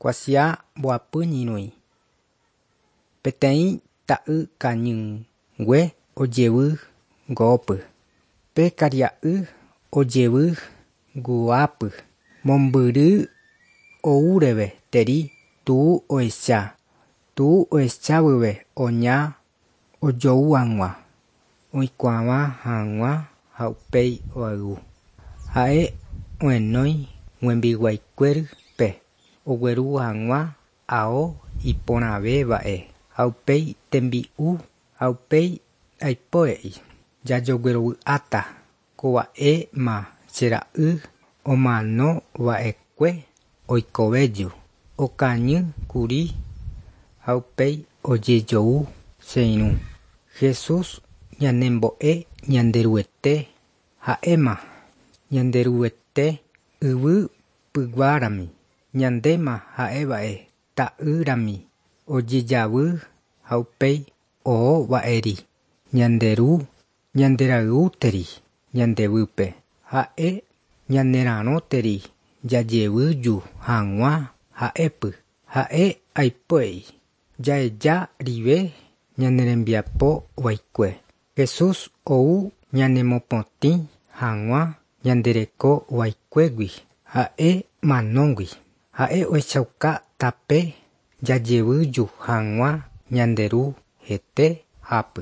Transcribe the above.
Kuasia mboapy ñyrõi. Peteĩ ta'y kañyngue ojevy ngoópy. Pe karia'y ojevy guápy. Mombyry oúreve teri tuu ohecha. Tuu ohechávyve oña ojou hag̃ua, oikuaavã hag̃ua ha upéi oayvu. Ha'e ohenói hembiguaikuérape ogueru hag̃ua ao iporãvéva'e ha upéi tembi'u ha upéi aipo he'i jajoguerovy'áta kova'éma che ra'y omanova'ekue oikovéju, okañýkuri ha upéi ojejou che irũ. Jesús ñanembo'e Ñanderuete ha'éma Ñanderuete yvy pyguarami, ñandéma ha'eva'e ta'ýrami ojejavy ha upéi ohova'eri ñande ru ñanderayhúteri ñandevýpe ha'e ñanerarõteri jajevyju hag̃ua ha'épy ha'e aipo'ei jaheja rive ñane rembiapo vaikue. Jesús ou ñanemopotĩ hag̃ua ñande reko vaikuégui ha'e manógui. Ha'e ohechauka tape jajevyju hag̃ua ñande ru hete hápy.